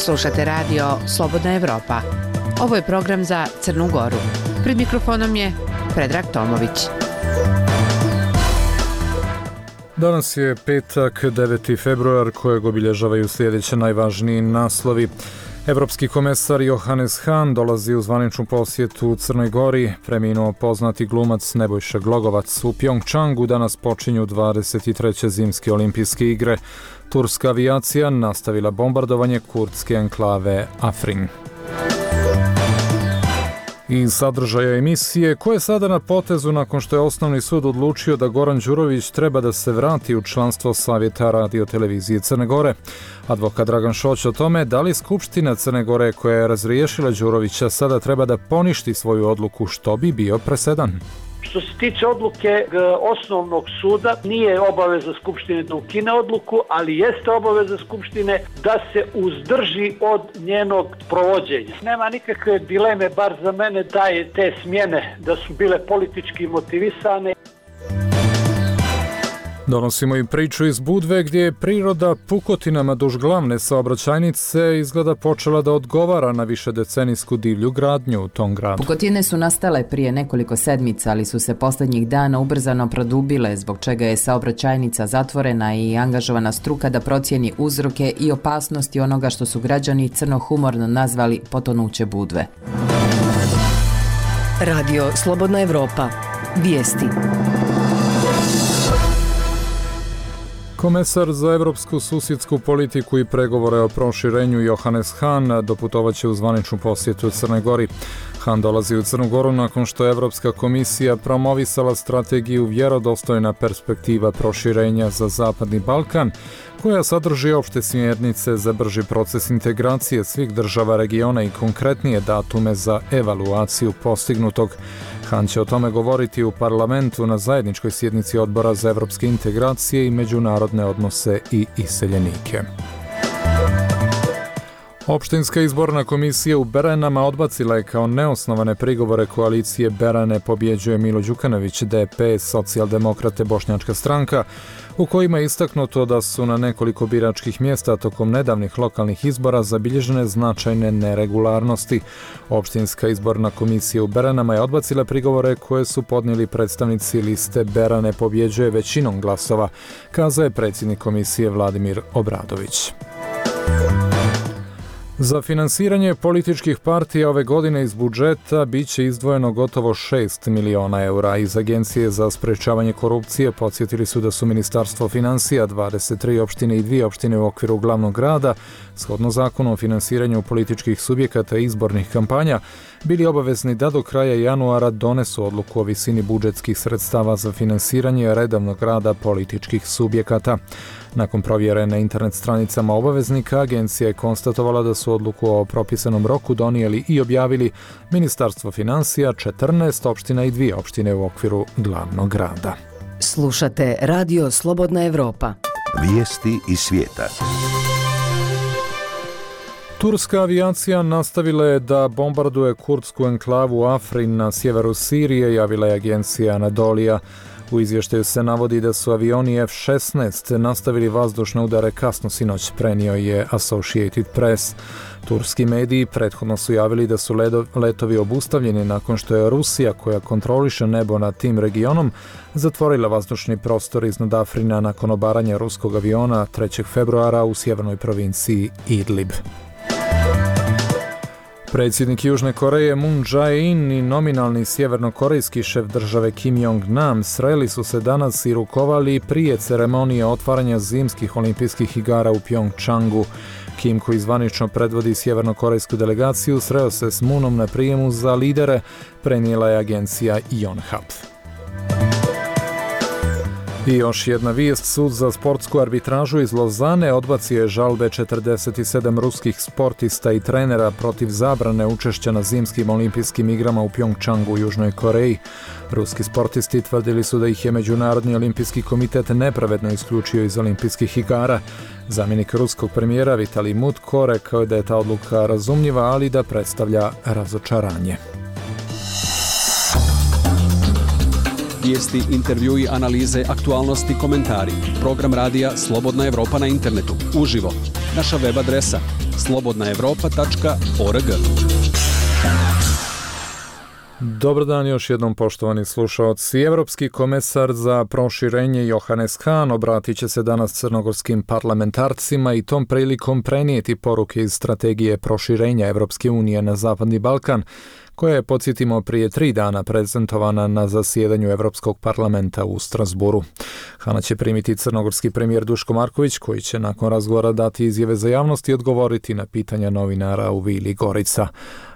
Slušate radio Slobodna Evropa. Ovo je program za Crnu Goru. Pred mikrofonom je Predrag Tomović. Danas je petak, 9. februar, kojeg obilježavaju sljedeće najvažniji naslovi. Evropski komesar Johannes Hahn dolazi u zvaničnu posjetu Crnoj Gori. Preminuo poznati glumac Nebojša Glogovac. U Pjongčangu danas počinju 23. zimske olimpijske igre. Turska avijacija nastavila bombardovanje kurdske enklave Afrin. Iz sadržaja emisije, ko je sada na potezu nakon što je Osnovni sud odlučio da Goran Đurović treba da se vrati u članstvo Savjeta radio-televizije Crne Gore. Advokat Dragan Šoć o tome da li Skupština Crne Gore koja je razriješila Đurovića sada treba da poništi svoju odluku, što bi bio presedan. Što se tiče odluke Osnovnog suda, nije obaveza Skupštine da ukine odluku, ali jeste obaveza Skupštine da se uzdrži od njenog provođenja. Nema nikakve dileme, bar za mene, da je te smjene da su bile politički motivisane. Donosimo i priču iz Budve gdje je priroda pukotinama duž glavne saobraćajnice izgleda počela da odgovara na višedecenijsku divlju gradnju u tom gradu. Pukotine su nastale prije nekoliko sedmica, ali su se posljednjih dana ubrzano produbile, zbog čega je saobraćajnica zatvorena i angažovana struka da procijeni uzroke i opasnosti onoga što su građani crnohumorno nazvali potonuće Budve. Radio Slobodna Evropa. Vijesti. Komesar za evropsku susjedsku politiku i pregovore o proširenju Johannes Hahn doputovaće u zvaničnu posjetu Crnoj Gori. Hahn dolazi u Crnu Goru nakon što je Evropska komisija promovisala strategiju Vjerodostojna perspektiva proširenja za Zapadni Balkan, koja sadrži opšte smjernice za brži proces integracije svih država regiona i konkretnije datume za evaluaciju postignutog. Hahn će o tome govoriti u parlamentu na zajedničkoj sjednici Odbora za evropske integracije i međunarodne odnose i iseljenike. Opštinska izborna komisija u Beranama odbacila je kao neosnovane prigovore koalicije Berane pobjeđuje Milo Đukanović, DPS, Socijaldemokrate, Bošnjačka stranka, u kojima je istaknuto da su na nekoliko biračkih mjesta tokom nedavnih lokalnih izbora zabilježene značajne neregularnosti. Opštinska izborna komisija u Beranama je odbacila prigovore koje su podnijeli predstavnici liste Berane pobjeđuje većinom glasova, kazao je predsjednik komisije Vladimir Obradović. Za finansiranje političkih partija ove godine iz budžeta biće izdvojeno gotovo 6 miliona eura. Iz Agencije za sprečavanje korupcije podsjetili su da su Ministarstvo financija, 23 opštine i 2 opštine u okviru glavnog grada, shodno zakonu o finansiranju političkih subjekata i izbornih kampanja, bili obavezni da do kraja januara donesu odluku o visini budžetskih sredstava za finansiranje redovnog rada političkih subjekata. Nakon provjere na internet stranicama obaveznika, agencija je konstatovala da su odluku o propisanom roku donijeli i objavili Ministarstvo financija, 14 opština i 2 opštine u okviru glavnog grada. Slušate Radio Slobodna Evropa. Vijesti iz svijeta. Turska avijacija nastavila je da bombarduje kurdsku enklavu Afrin na sjeveru Sirije, javila je agencija Anadolija. U izvještaju se navodi da su avioni F-16 nastavili vazdušne udare kasno sinoć, prenio je Associated Press. Turski mediji prethodno su javili da su letovi obustavljeni nakon što je Rusija, koja kontroliše nebo nad tim regionom, zatvorila vazdušni prostor iznad Afrina nakon obaranja ruskog aviona 3. februara u sjevernoj provinciji Idlib. Predsjednik Južne Koreje Moon Jae-in i nominalni sjevernokorejski šef države Kim Jong-nam sreli su se danas i rukovali prije ceremonije otvaranja zimskih olimpijskih igara u Pjongčangu. Kim, koji zvanično predvodi sjevernokorejsku delegaciju, sreo se s Moonom na prijemu za lidere, prenijela je agencija Yonhap. I još jedna vijest, sud za sportsku arbitražu iz Lozane odbacio je žalbe 47 ruskih sportista i trenera protiv zabrane učešća na zimskim olimpijskim igrama u Pjongčangu u Južnoj Koreji. Ruski sportisti tvrdili su da ih je Međunarodni olimpijski komitet nepravedno isključio iz olimpijskih igara. Zamjenik ruskog premijera Vitalij Mutko rekao je da je ta odluka razumljiva, ali da predstavlja razočaranje. Vijesti, intervjui, analize, aktualnosti, komentari. Program radija Slobodna Evropa na internetu. Uživo. Naša web adresa slobodnaevropa.org. Dobar dan još jednom, poštovani slušaoci. Evropski komesar za proširenje Johannes Hahn obratit će se danas crnogorskim parlamentarcima i tom prilikom prenijeti poruke iz strategije proširenja Evropske unije na Zapadni Balkan, koja je, podsjetimo, prije 3 dana prezentovana na zasjedanju Evropskog parlamenta u Strasburu. Hana će primiti crnogorski premijer Duško Marković, koji će nakon razgovora dati izjave za javnost i odgovoriti na pitanja novinara u Vili Gorica.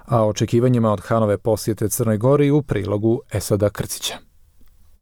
A očekivanjima od Hanove posjete Crnoj Gori u prilogu Esada Krcića.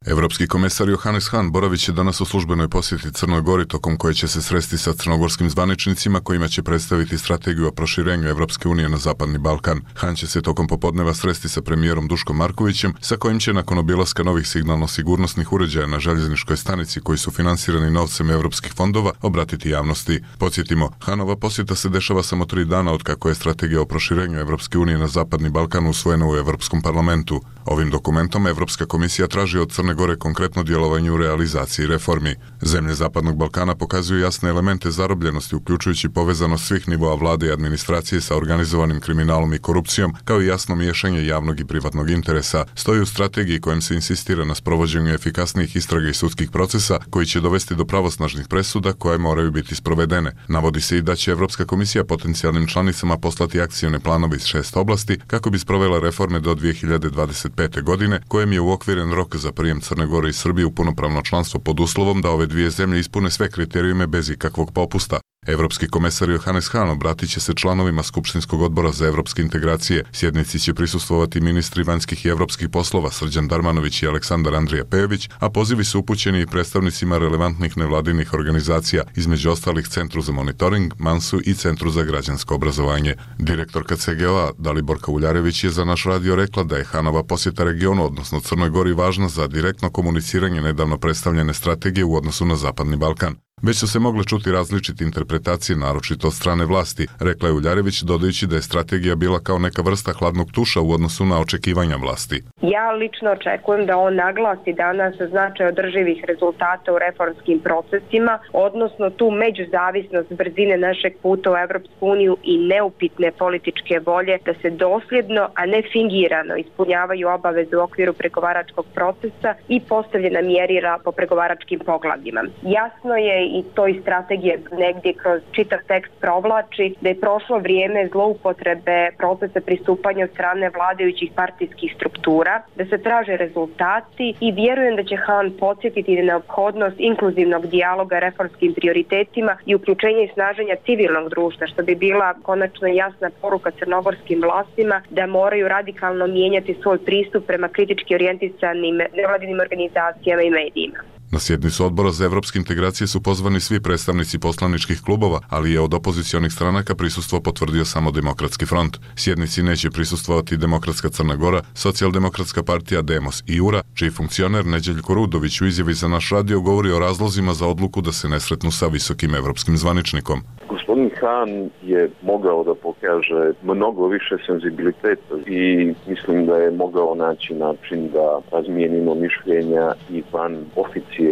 Evropski komesar Johannes Hahn boravit će danas u službenoj posjeti Crnoj Gori, tokom koje će se sresti sa crnogorskim zvaničnicima kojima će predstaviti strategiju o proširenju Evropske unije na Zapadni Balkan. Hahn će se tokom popodneva sresti sa premijerom Duškom Markovićem, sa kojim će nakon obilaska novih signalno-sigurnosnih uređaja na željezničkoj stanici koji su finansirani novcem evropskih fondova obratiti javnosti. Podsjetimo, Hahnova posjeta se dešava samo 3 dana od kako je strategija o proširenju Evropske unije na Zapadni Balkan usvojena u Evropskom parlamentu. Ovim dokumentom Evropska komisija traži od Crne Gore konkretno djelovanje u realizaciji reformi. Zemlje Zapadnog Balkana pokazuju jasne elemente zarobljenosti, uključujući povezanost svih nivoa vlade i administracije sa organizovanim kriminalom i korupcijom, kao i jasno miješanje javnog i privatnog interesa. Stoji u strategiji kojem se insistira na sprovođenju efikasnijih istraga i sudskih procesa koji će dovesti do pravosnažnih presuda koje moraju biti sprovedene. Navodi se i da će Evropska komisija potencijalnim članicama poslati akcione planove iz 6 oblasti kako bi sprovela reforme do 2025. godine, kojem je uokviren rok za prijem Crne Gore i Srbije u punopravno članstvo pod uslovom da ove dvije zemlje ispune sve kriterijume bez ikakvog popusta. Evropski komesar Johannes Hahn obratit će se članovima Skupštinskog odbora za evropske integracije. Sjednici će prisustvovati ministri vanjskih i evropskih poslova Srđan Darmanović i Aleksandar Andrija Pejović, a pozivi su upućeni i predstavnicima relevantnih nevladinih organizacija, između ostalih Centru za monitoring, Mansu i Centru za građansko obrazovanje. Direktorka CGO-a Daliborka Uljarević je za naš radio rekla da je Hahnova posjeta regionu, odnosno Crnoj Gori, važna za direktno komuniciranje nedavno predstavljene strategije u odnosu na Zapadni Balkan. Već su se mogle čuti različite interpretacije, naročito od strane vlasti, rekla je Uljarević, dodajući da je strategija bila kao neka vrsta hladnog tuša u odnosu na očekivanja vlasti. Ja lično očekujem da on naglasi danas značaj održivih rezultata u reformskim procesima, odnosno tu međuzavisnost brzine našeg puta u Evropsku uniju i neupitne političke volje da se dosljedno, a ne fingirano ispunjavaju obaveze u okviru pregovaračkog procesa i postavljena mjerila po pregovaračkim poglavljima. Jasno je i to i strategije negdje kroz čitav tekst provlači da je prošlo vrijeme zloupotrebe procesa pristupanja od strane vladajućih partijskih struktura, da se traže rezultati i vjerujem da će Hahn podsjetiti na neophodnost inkluzivnog dijaloga reformskim prioritetima i uključenje i snaženja civilnog društva, što bi bila konačno jasna poruka crnogorskim vlastima da moraju radikalno mijenjati svoj pristup prema kritički orijentisanim nevladinim organizacijama i medijima. Na sjednicu odbora za evropske integracije su pozvani svi predstavnici poslaničkih klubova, ali je od opozicionih stranaka prisustvo potvrdio samo Demokratski front. Sjednici neće prisustvovati Demokratska Crna Gora, Socijaldemokratska partija Demos i URA, čiji funkcioner Neđeljko Rudović u izjavi za naš radio govori o razlozima za odluku da se ne sretnu sa visokim evropskim zvaničnikom. Gospodin Hahn je mogao da pokaže mnogo više senzibiliteta i mislim da je mogao naći način da razmijenimo mišljenja i van oficijalnih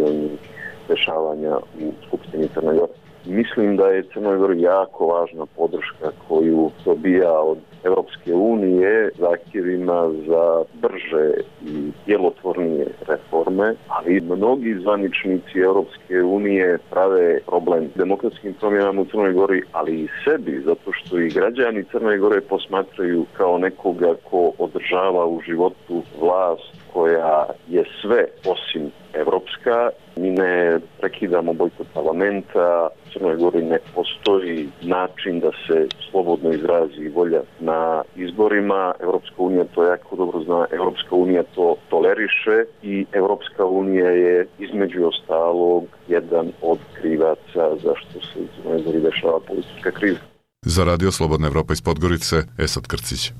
dešavanja u Skupštini Crne Gore. Mislim da je Crnoj Gori jako važna podrška koju dobija od Evropske unije zahtjevima za brže i djelotvornije reforme, ali mnogi zvaničnici Evropske unije prave problem demokratskim promjenama u Crnoj Gori, ali i sebi, zato što i građani Crne Gore posmatraju kao nekoga ko održava u životu vlast koja je sve osim evropska. Mi ne prekidamo bojkot parlamenta, u Crnoj Gori ne postoji način da se slobodno izrazi volja na izborima. Evropska unija to jako dobro zna, Evropska unija to toleriše i Evropska unija je između ostalog jedan od krivaca zašto se u Crnoj Gori dešava politička kriza. Za radio Slobodna Evropa iz Podgorice, Esad Krcić.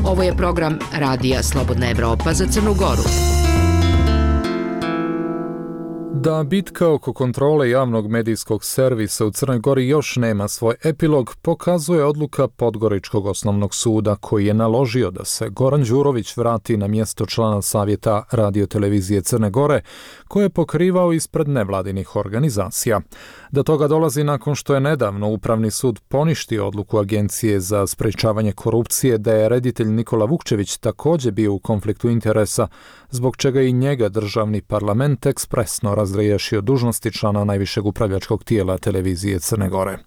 Ovo je program Radija Slobodna Evropa za Crnu Goru. Da bitka oko kontrole javnog medijskog servisa u Crnoj Gori još nema svoj epilog, pokazuje odluka Podgoričkog osnovnog suda koji je naložio da se Goran Đurović vrati na mjesto člana savjeta radiotelevizije Crne Gore, koje je pokrivao ispred nevladinih organizacija. Do toga dolazi nakon što je nedavno Upravni sud poništio odluku Agencije za sprečavanje korupcije da je reditelj Nikola Vukčević također bio u konfliktu interesa, zbog čega i njega državni parlament ekspresno razriješio dužnosti člana najvišeg upravljačkog tijela televizije Crne Gore.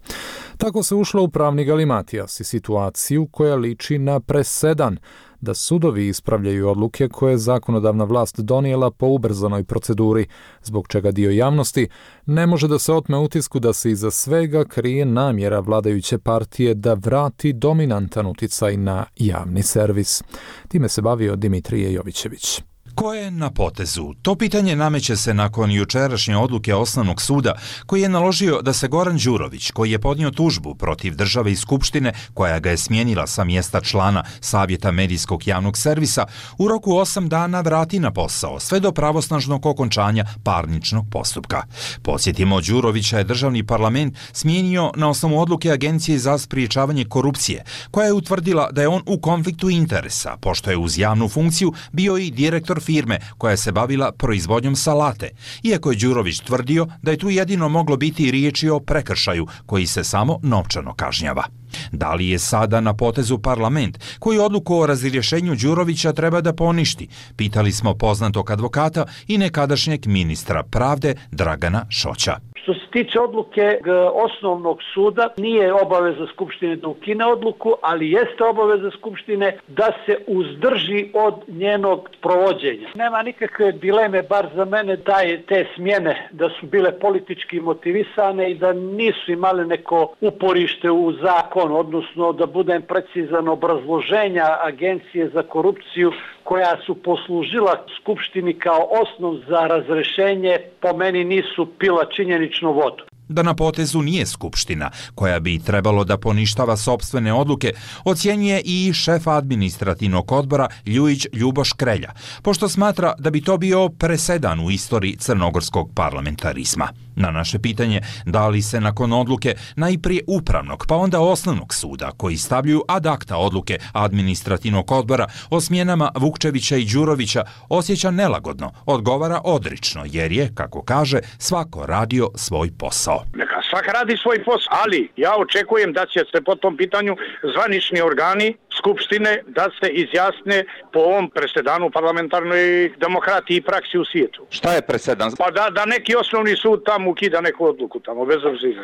Tako se ušlo u pravni galimatijas i situaciju koja liči na presedan da sudovi ispravljaju odluke koje je zakonodavna vlast donijela po ubrzanoj proceduri, zbog čega dio javnosti ne može da se otme utisku da se iza svega krije namjera vladajuće partije da vrati dominantan uticaj na javni servis. Time se bavio Dimitrije Jovićević. Ko je na potezu? To pitanje nameće se nakon jučerašnje odluke Osnovnog suda koji je naložio da se Goran Đurović, koji je podnio tužbu protiv države i skupštine koja ga je smijenila sa mjesta člana Savjeta medijskog javnog servisa, u roku 8 dana vrati na posao, sve do pravosnažnog okončanja parničnog postupka. Podsjetimo, Đurovića je državni parlament smijenio na osnovu odluke Agencije za sprečavanje korupcije, koja je utvrdila da je on u konfliktu interesa, pošto je uz javnu funkciju bio i direktor firme koja se bavila proizvodnjom salate, iako je Đurović tvrdio da je tu jedino moglo biti riječi o prekršaju koji se samo novčano kažnjava. Da li je sada na potezu parlament koji odluku o razrješenju Đurovića treba da poništi? Pitali smo poznatog advokata i nekadašnjeg ministra pravde Dragana Šoća. Što se tiče odluke Osnovnog suda, nije obaveza Skupštine da ukine odluku, ali jeste obaveza Skupštine da se uzdrži od njenog provođenja. Nema nikakve dileme, bar za mene, da je te smjene da su bile politički motivisane i da nisu imale neko uporište u zakon, odnosno da budem precizan, obrazloženja Agencije za korupciju koja su poslužila Skupštini kao osnov za razrešenje, po meni nisu pila činjeničnu vodu. Da na potezu nije Skupština, koja bi trebalo da poništava sopstvene odluke, ocjenjuje i šef administrativnog odbora Ljujić Ljuboš Krelja, pošto smatra da bi to bio presedan u istoriji crnogorskog parlamentarizma. Na naše pitanje da li se nakon odluke najprije Upravnog pa onda Osnovnog suda, koji stavljaju ad acta odluke administrativnog odbora o smjenama Vukčevića i Đurovića, osjeća nelagodno, odgovara odrično, jer je, kako kaže, svako radio svoj posao. Neka svak radi svoj posao, ali ja očekujem da će se po tom pitanju zvanični organi Skupštine da se izjasne po ovom presedanu parlamentarnoj demokratiji i praksi u svijetu. Šta je presedan? Pa da neki osnovni sud tamo ukida neku odluku tamo, bez obzira.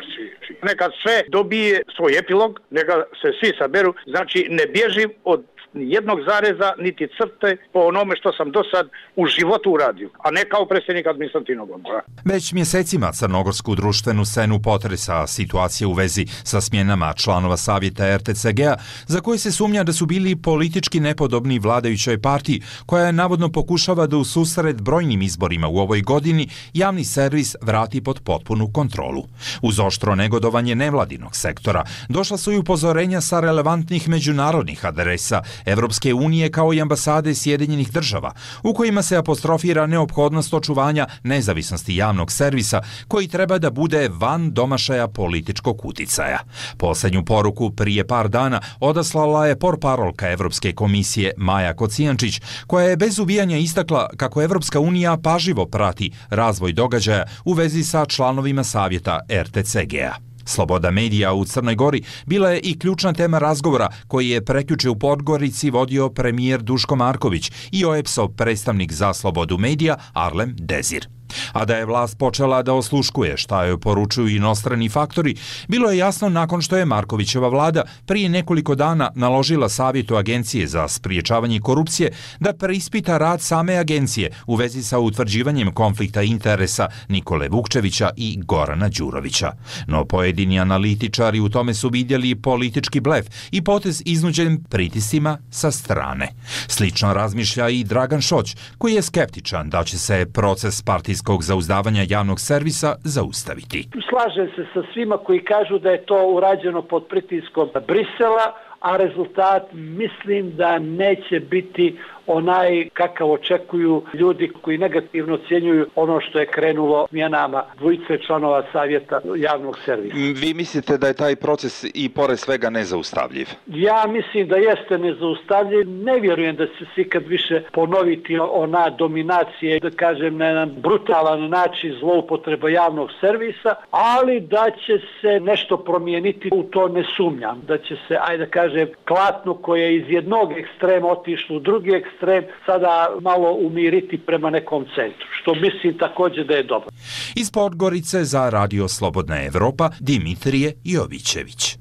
Neka sve dobije svoj epilog, neka se svi saberu, znači ne bježi od jednog zareza niti crte po onome što sam do sad u životu uradio, a ne kao predsjednik administrativnog odbora. Već mjesecima crnogorsku društvenu scenu potresa situacija u vezi sa smjenama članova savjeta RTCG-a, za koje se sumnja da su bili politički nepodobni vladajućoj partiji, koja navodno pokušava da u susret brojnim izborima u ovoj godini javni servis vrati pod potpunu kontrolu. Uz oštro negodovanje nevladinog sektora došla su i upozorenja sa relevantnih međunarodnih adresa Evropske unije kao i ambasade Sjedinjenih država, u kojima se apostrofira neophodnost očuvanja nezavisnosti javnog servisa koji treba da bude van domašaja političkog uticaja. Posljednju poruku prije par dana odaslala je portparolka Evropske komisije Maja Kocijančić, koja je bez uvijanja istakla kako Evropska unija pažljivo prati razvoj događaja u vezi sa članovima savjeta RTCG-a. Sloboda medija u Crnoj Gori bila je i ključna tema razgovora koji je prekjuče u Podgorici vodio premijer Duško Marković i OEPS-ov predstavnik za slobodu medija Arlem Dezir. A da je vlast počela da osluškuje šta joj poručuju inostrani faktori, bilo je jasno nakon što je Markovićeva vlada prije nekoliko dana naložila Savjetu Agencije za spriječavanje korupcije da preispita rad same agencije u vezi sa utvrđivanjem konflikta interesa Nikole Vukčevića i Gorana Đurovića. No pojedini analitičari u tome su vidjeli politički blef i potez iznuđen pritiscima sa strane. Slično razmišlja i Dragan Šoć, koji je skeptičan da će se proces partijskog zauzdavanja javnog servisa zaustaviti. Slažem se sa svima koji kažu da je to urađeno pod pritiskom Brisela, a rezultat mislim da neće biti onaj kakav očekuju ljudi koji negativno ocjenjuju ono što je krenulo smjenama dvojice članova savjeta javnog servisa. Vi mislite da je taj proces i pored svega nezaustavljiv? Ja mislim da jeste nezaustavljiv. Ne vjerujem da će se ikad više ponoviti ona dominacija, da kažem na jedan brutalan način zloupotreba javnog servisa, ali da će se nešto promijeniti, u to ne sumnjam. Da će se, ajde da kažem, klatno koje je iz jednog ekstrema otišlo u drugi ekstrem, sada malo umiriti prema nekom centru, što mislim također da je dobro. Iz Podgorice za Radio Slobodna Evropa, Dimitrije Jovićević.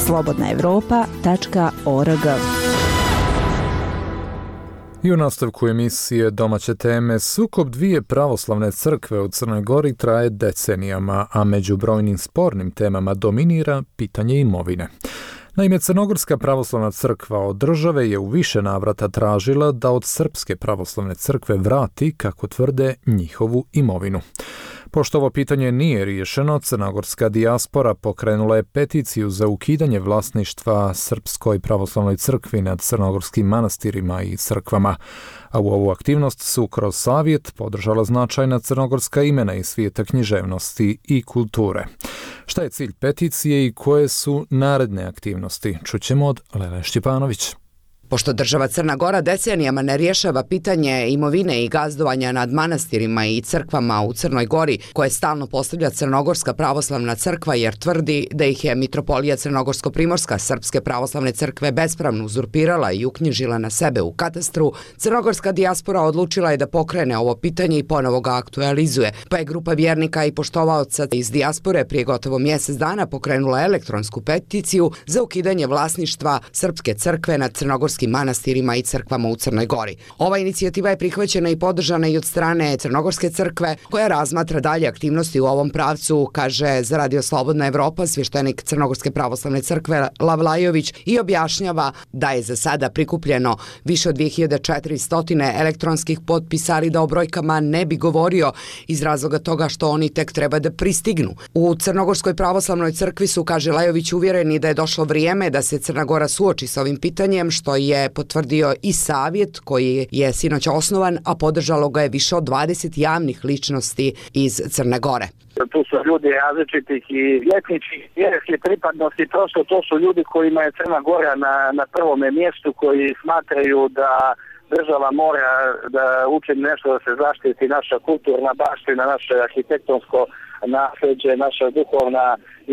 slobodnaevropa.org. I u nastavku emisije Domaće teme, sukob dvije pravoslavne crkve u Crnoj Gori traje decenijama, a među brojnim spornim temama dominira pitanje imovine. Naime, Crnogorska pravoslavna crkva od države je u više navrata tražila da od Srpske pravoslavne crkve vrati, kako tvrde, njihovu imovinu. Pošto ovo pitanje nije riješeno, crnogorska dijaspora pokrenula je peticiju za ukidanje vlasništva Srpskoj pravoslavnoj crkvi nad crnogorskim manastirima i crkvama, a u ovu aktivnost su kroz savjet podržala značajna crnogorska imena iz svijeta književnosti i kulture. Šta je cilj peticije i koje su naredne aktivnosti? Čućemo od Lele Štjepanović. Pošto država Crna Gora decenijama ne rješava pitanje imovine i gazdovanja nad manastirima i crkvama u Crnoj Gori, koje stalno postavlja Crnogorska pravoslavna crkva jer tvrdi da ih je mitropolija Crnogorsko-primorska Srpske pravoslavne crkve bespravno uzurpirala i uknjižila na sebe u katastru, crnogorska dijaspora odlučila je da pokrene ovo pitanje i ponovo ga aktualizuje, pa je grupa vjernika i poštovaoca iz dijaspore prije gotovo mjesec dana pokrenula elektronsku peticiju za ukidanje vlasništva Srpske crkve nad Crnogorskim manastirima i crkvama u Crnoj Gori. Ova inicijativa je prihvaćena i podržana i od strane Crnogorske crkve, koja razmatra dalje aktivnosti u ovom pravcu, kaže za Radio Slobodna Evropa svještenik Crnogorske pravoslavne crkve Lavlajović i objašnjava da je za sada prikupljeno više od 2400 elektronskih potpisa, ali da o brojkama ne bi govorio iz razloga toga što oni tek treba da pristignu. U Crnogorskoj pravoslavnoj crkvi su, kaže Lajović, uvjereni da je došlo vrijeme da se Crna Gora suoči sa ovim pitanjem, što je potvrdio i savjet koji je sinoć osnovan, a podržalo ga je više od 20 javnih ličnosti iz Crne Gore. Tu su ljudi različitih i etničkih, vjerskih pripadnosti, prosto to su ljudi kojima je Crna Gora na prvome mjestu, koji smatraju da država mora da učini nešto da se zaštiti naša kulturna baština, naše arhitektonsko nasljeđe, naša duhovna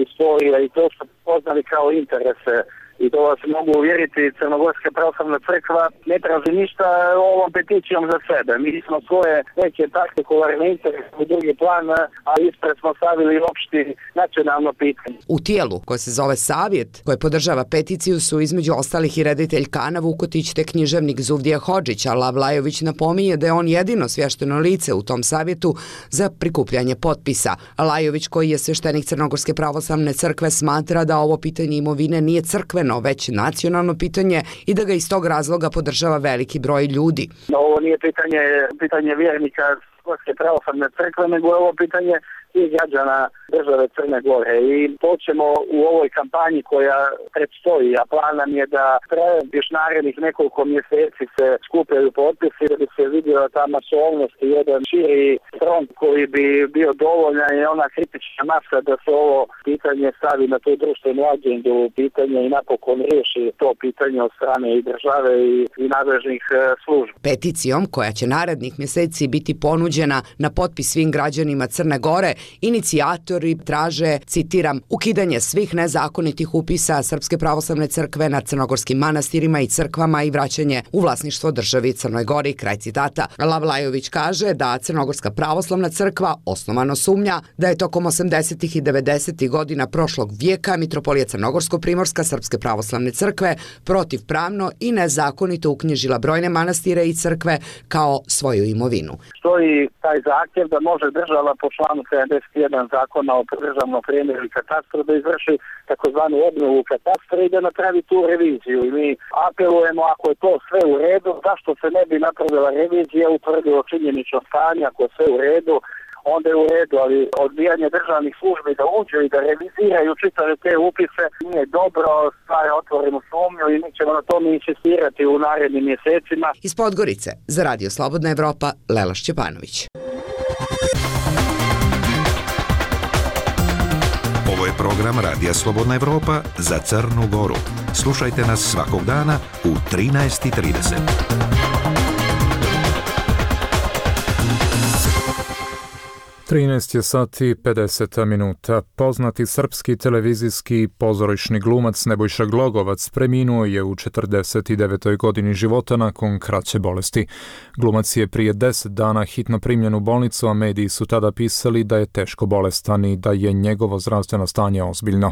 istorija, i to su poznali kao interese. I to vas mogu uvjeriti, Crnogorska pravoslavna crkva ne traži ništa ovom peticijom za sebe. Mi smo svoje neke partikularne interese u drugi plan, a ispred smo stavili opšti nacionalno pitanje. U tijelu koje se zove savjet, koje podržava peticiju, su između ostalih i reditelj Kana Vukotić te književnik Zuvdija Hodžić, a Lavlajović napominje da je on jedino svješteno lice u tom savjetu za prikupljanje potpisa. Lajović, koji je svještenik Crnogorske pravoslavne crkve, smatra da ovo pitanje imovine nije crkveno, već nacionalno pitanje i da ga iz tog razloga podržava veliki broj ljudi. Ovo nije pitanje vjernika Crnogorske pravoslavne crkve, nego je ovo pitanje i građana države Crne Gore. I to ćemo u ovoj kampanji koja predstoji, a plan nam je da još narednih nekoliko mjeseci se skupljaju potpisi da bi se vidjela ta masovnost i jedan širi front koji bi bio dovoljan i ona kritična masa da se ovo pitanje stavi na tu društvenu agendu, pitanje i napokon riješi to pitanje od strane i države i nadležnih službi. Peticijom, koja će narednih mjeseci biti ponuđena na potpis svim građanima Crne Gore, inicijatori traže, citiram, ukidanje svih nezakonitih upisa Srpske pravoslavne crkve nad crnogorskim manastirima i crkvama i vraćanje u vlasništvo državi Crnoj Gori, kraj citata. Lavlajović kaže da Crnogorska pravoslavna crkva osnovano sumnja da je tokom 80. i 90. godina prošlog vijeka mitropolija Crnogorsko-primorska Srpske pravoslavne crkve protivpravno i nezakonito uknjižila brojne manastire i crkve kao svoju imovinu. Stoji taj zahtjev da može država po članu 71 zakona o državnom premeru i katastru da izvrši takozvanu obnovu katastra i da napravi tu reviziju. I mi apelujemo, ako je to sve u redu, zašto se ne bi napravila revizija, utvrdilo činjenično stanje, ako je sve u redu, onda je u redu, ali odbijanje državnih službi da uđu i da reviziraju čitave te upise nije dobro, stvara otvorenu sumnju i mi ćemo na tome insistirati u narednim mjesecima. Iz Podgorice, za Radio Slobodna Evropa, Lela Šćepanović. Ovo je program Radija Slobodna Evropa za Crnu Goru. Slušajte nas svakog dana u 13:30. 13 je sati 50 minuta. Poznati srpski televizijski i pozorišni glumac Nebojša Glogovac preminuo je u 49. godini života nakon kraće bolesti. Glumac je prije 10 dana hitno primljen u bolnicu, a mediji su tada pisali da je teško bolestan i da je njegovo zdravstveno stanje ozbiljno.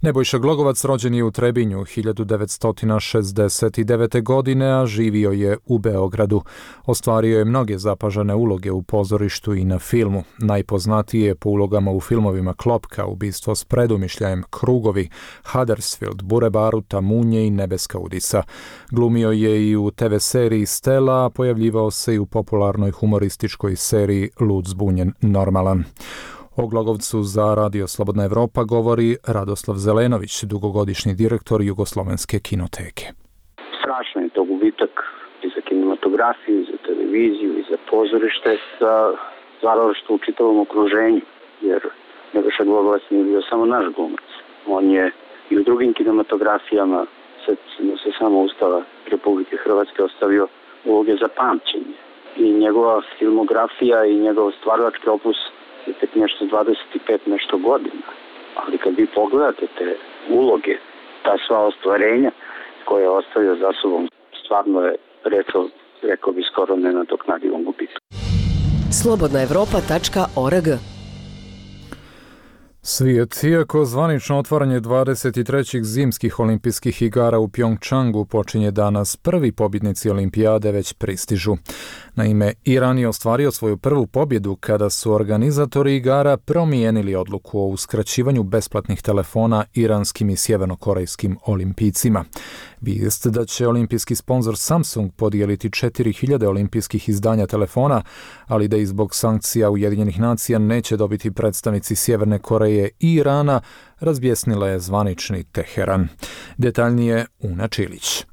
Nebojša Glogovac rođen je u Trebinju 1969. godine, a živio je u Beogradu. Ostvario je mnoge zapažene uloge u pozorištu i na filmu. Najpoznatije je po ulogama u filmovima Klopka, Ubistvo s predumišljajem, Krugovi, Huddersfield, Bure Baruta, Munje i Nebeska udisa. Glumio je i u TV seriji Stella, a pojavljivao se i u popularnoj humorističkoj seriji Lud, zbunjen, normalan. O Glogovcu za Radio Slobodna Evropa govori Radoslav Zelenović, dugogodišnji direktor Jugoslovenske kinoteke. Strašno je to gubitak i za kinematografiju, i za televiziju, i za pozorište, za stvaralaštvo u čitavom okruženju, jer Nebojša Glogovac nije bio samo naš glumac. On je i u drugim kinematografijama, setimo se samo Ustava Republike Hrvatske, ostavio uloge za pamćenje. I njegova filmografija i njegov stvaralački opus je tek nešto 25 nešto godina. Ali kad vi pogledate te uloge, ta sva ostvarenja koje je ostavio za sobom, stvarno je, rekao bi, skoro nenadoknadivom gubitku. slobodnaevropa.org. Svijet, iako zvanično otvaranje 23. zimskih olimpijskih igara u Pjongčangu počinje danas, prvi pobjednici olimpijade već pristižu. Naime, Iran je ostvario svoju prvu pobjedu kada su organizatori igara promijenili odluku o uskraćivanju besplatnih telefona iranskim i sjevernokorejskim olimpijcima. Vijest da će olimpijski sponzor Samsung podijeliti 4000 olimpijskih izdanja telefona, ali da i zbog sankcija Ujedinjenih nacija neće dobiti predstavnici Sjeverne Koreje i Irana, razbjesnila je zvanični Teheran. Detaljnije Una Čilić.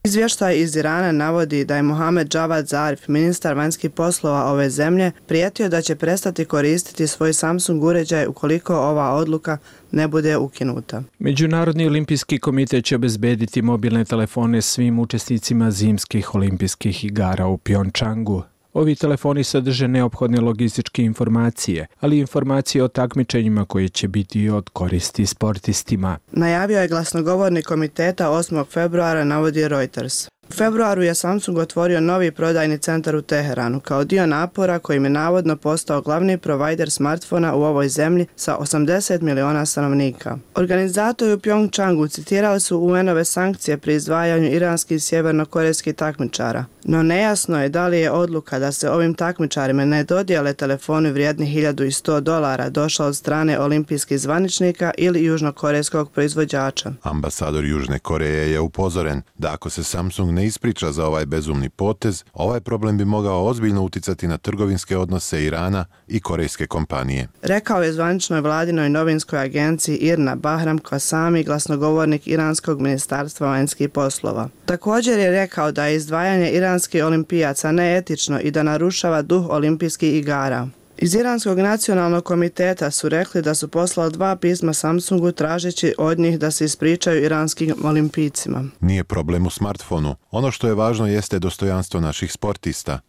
Izvještaj iz Irana navodi da je Mohamed Javad Zarif, ministar vanjskih poslova ove zemlje, prijetio da će prestati koristiti svoj Samsung uređaj ukoliko ova odluka ne bude ukinuta. Međunarodni olimpijski komitet će obezbediti mobilne telefone svim učesnicima zimskih olimpijskih igara u Pjongčangu. Ovi telefoni sadrže neophodne logističke informacije, ali i informacije o takmičenjima koje će biti od koristi sportistima. Najavio je glasnogovornik komiteta 8. februara, navodi Reuters. U februaru je Samsung otvorio novi prodajni centar u Teheranu kao dio napora kojim je navodno postao glavni provajder smartfona u ovoj zemlji sa 80 miliona stanovnika. Organizatori u Pjongčangu citirali su UN-ove sankcije pri izdvajanju iranskih i sjevernokorejskih takmičara. No nejasno je da li je odluka da se ovim takmičarima ne dodijele telefoni vrijedni $1.100 došla od strane olimpijskih zvaničnika ili južnokorejskog proizvođača. Ambasador Južne Koreje je upozoren da ako se Samsung ne ispriča za ovaj bezumni potez, ovaj problem bi mogao ozbiljno uticati na trgovinske odnose Irana i korejske kompanije. Rekao je zvaničnoj vladinoj novinskoj agenciji IRNA Bahram Kvasami, glasnogovornik Iranskog ministarstva vanjskih poslova. Također je rekao da je izdvajanje iranskih olimpijaca neetično i da narušava duh olimpijskih igara. Iz Iranskog nacionalnog komiteta su rekli da su poslali 2 pisma Samsungu tražeći od njih da se ispričaju iranskim olimpijcima. Nije problem u smartfonu. Ono što je važno jeste dostojanstvo naših sportista.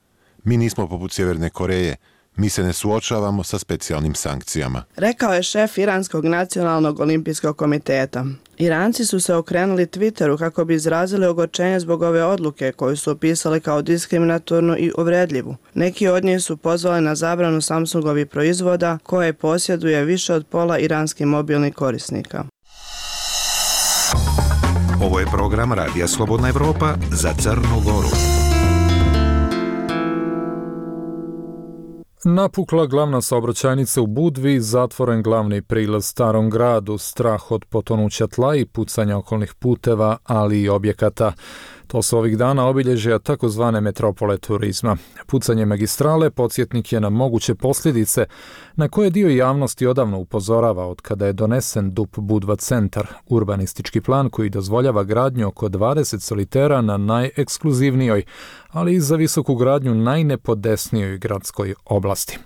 Mi nismo poput Sjeverne Koreje. Mi se ne suočavamo sa specijalnim sankcijama. Rekao je šef Iranskog nacionalnog olimpijskog komiteta. Iranci su se okrenuli Twitteru kako bi izrazili ogorčenje zbog ove odluke koju su opisali kao diskriminatornu i uvredljivu. Neki od njih su pozvali na zabranu Samsungovih proizvoda koje posjeduje više od pola iranskih mobilnih korisnika. Ovo je program Radija Slobodna Evropa za Crnu Goru. Napukla glavna saobraćajnica u Budvi, zatvoren glavni prilaz Starom gradu, strah od potonuća tla i pucanja okolnih puteva, ali i objekata. To su ovih dana obilježja takozvane metropole turizma. Pucanje magistrale podsjetnik je na moguće posljedice na koje dio javnosti odavno upozorava od kada je donesen DUP Budva centar, urbanistički plan koji dozvoljava gradnju oko 20 solitera na najekskluzivnijoj, ali i za visoku gradnju najnepodesnijoj gradskoj oblasti.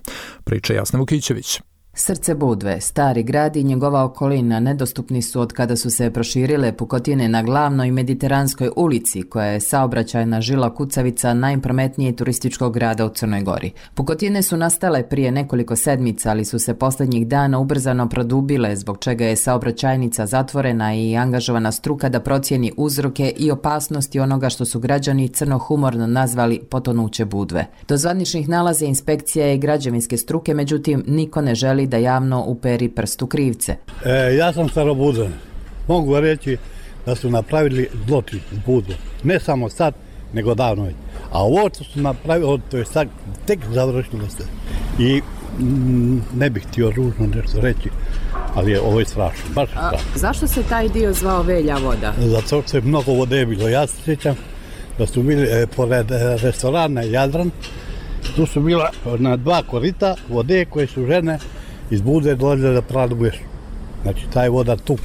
Priča Jasna Vukićević. Srce Budve, stari grad i njegova okolina nedostupni su od kada su se proširile pukotine na glavnoj mediteranskoj ulici, koja je saobraćajna žila kucavica najprometnije turističkog grada u Crnoj Gori. Pukotine su nastale prije nekoliko sedmica, ali su se posljednjih dana ubrzano produbile, zbog čega je saobraćajnica zatvorena i angažovana struka da procijeni uzroke i opasnosti onoga što su građani crnohumorno nazvali potonuće Budve. Do zvaničnih nalaza inspekcija i građevinske struke, međutim, niko ne želi da javno uperi prstu krivce. Ja sam Starobudvan. Mogu reći da su napravili zločin u Budvu. Ne samo sad, nego davno već. A ovo što su napravili, to je sad tek završilo se. I ne bih htio ružno nešto reći, ali ovo je strašno, baš strašno. Zašto se taj dio zvao Velja voda? Zato što je mnogo vode bilo. Ja se sjećam da su bili pored restorana Jadran, tu su bila na 2 korita vode koje su žene iz Budve dolazile da pradu vešu. Znači, taj voda tu.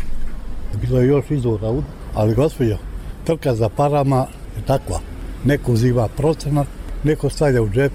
Bilo je još izvora, ali gospođo, trka za parama je takva. Neko uzima procenat, neko stavlja u džep,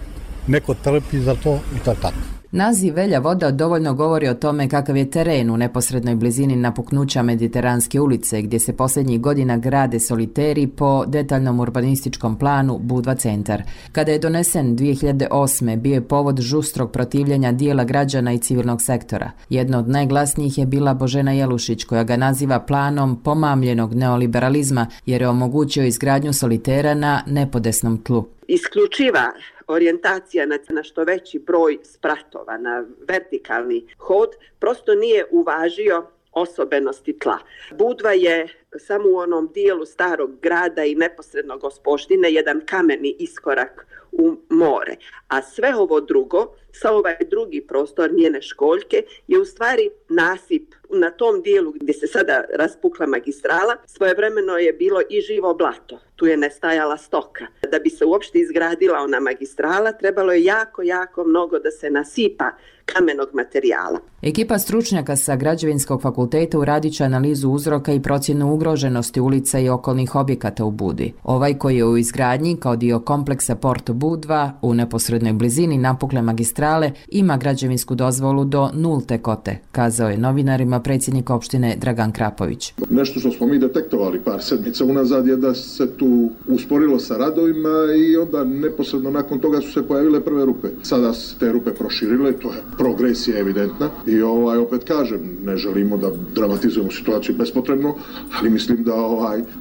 neko trpi za to i tako. Naziv Velja voda dovoljno govori o tome kakav je teren u neposrednoj blizini napuknuća Mediteranske ulice, gdje se posljednjih godina grade soliteri po detaljnom urbanističkom planu Budva centar. Kada je donesen 2008. bio je povod žustrog protivljenja dijela građana i civilnog sektora. Jedna od najglasnijih je bila Božena Jelušić, koja ga naziva planom pomamljenog neoliberalizma, jer je omogućio izgradnju solitera na nepodesnom tlu. Isključiva orijentacija na što veći broj spratova, na vertikalni hod, prosto nije uvažio osobenosti tla. Budva je samo u onom dijelu starog grada i neposredno Gospoštine jedan kameni iskorak u more. A sve ovo drugo, sa ovaj drugi prostor njene školjke, je u stvari nasip na tom dijelu gdje se sada raspukla magistrala. Svojevremeno je bilo i živo blato. Tu je nestajala stoka. Da bi se uopšte izgradila ona magistrala, trebalo je jako mnogo da se nasipa kamenog materijala. Ekipa stručnjaka sa Građevinskog fakulteta uradit će analizu uzroka i procjenu ugroženosti ulica i okolnih objekata u Budvi. Ovaj koji je u izgradnji kao dio kompleksa Porto Budva u neposrednoj blizini napukle magistrale ima građevinsku dozvolu do 0. kote, kazao je novinarima predsjednik opštine Dragan Krapović. Nešto što smo mi detektovali par sedmica unazad je da se tu usporilo sa radovima i onda neposredno nakon toga su se pojavile prve rupe. Sada se te rupe proširile, to je progresija evidentna i opet kažem, ne želimo da dramatizujemo situaciju bespotrebno, ali mislim da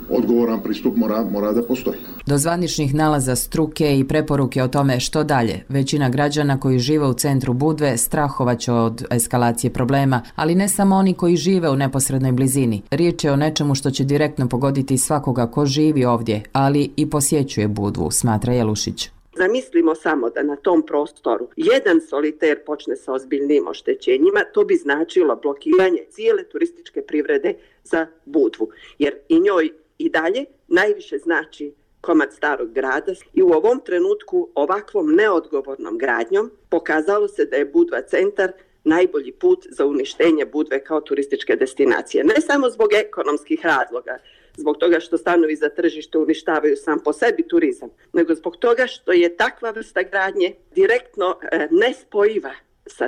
odgovoran pristup mora da postoji. Do zvaničnih nalaza struke i preporuke o tome što dalje, većina građana koji žive u centru Budve strahovaće od eskalacije problema, ali ne samo oni koji žive u neposrednoj blizini. Riječ je o nečemu što će direktno pogoditi svakoga ko živi ovdje, ali i posjećuje Budvu, smatra Jelušić. Zamislimo samo da na tom prostoru jedan soliter počne sa ozbiljnim oštećenjima, to bi značilo blokiranje cijele turističke privrede za Budvu, jer i njoj i dalje najviše znači komad starog grada i u ovom trenutku ovakvom neodgovornom gradnjom pokazalo se da je Budva centar najbolji put za uništenje Budve kao turističke destinacije. Ne samo zbog ekonomskih razloga, zbog toga što stanovi za tržište uništavaju sam po sebi turizam, nego zbog toga što je takva vrsta gradnje direktno nespojiva sa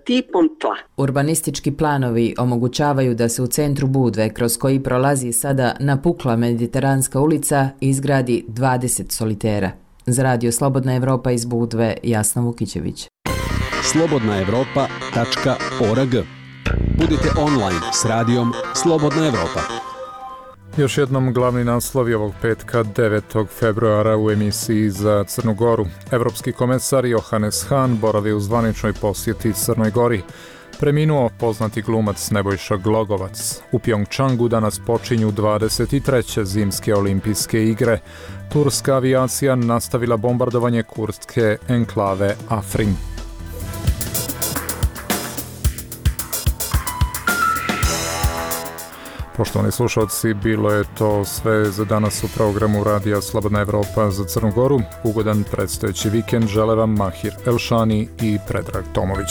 tipom tla. Urbanistički planovi omogućavaju da se u centru Budve, kroz koji prolazi sada napukla Mediteranska ulica, izgradi 20 solitera. Za radio Slobodna Evropa iz Budve, Jasna Vukićević. slobodnaevropa.org. Budite online s radijom Slobodna Evropa. Još jednom glavni naslovi ovog petka 9. februara u emisiji za Crnu Goru. Evropski komesar Johannes Hahn boravi u zvaničnoj posjeti Crnoj Gori. Preminuo poznati glumac Nebojša Glogovac. U Pjongčangu danas počinju 23. zimske olimpijske igre. Turska avijacija nastavila bombardovanje kurdske enklave Afrin. Poštovani slušalci, bilo je to sve za danas u programu Radija Slobodna Evropa za Crnu Goru. Ugodan predstojeći vikend žele vam Mahir Elšani i Predrag Tomović.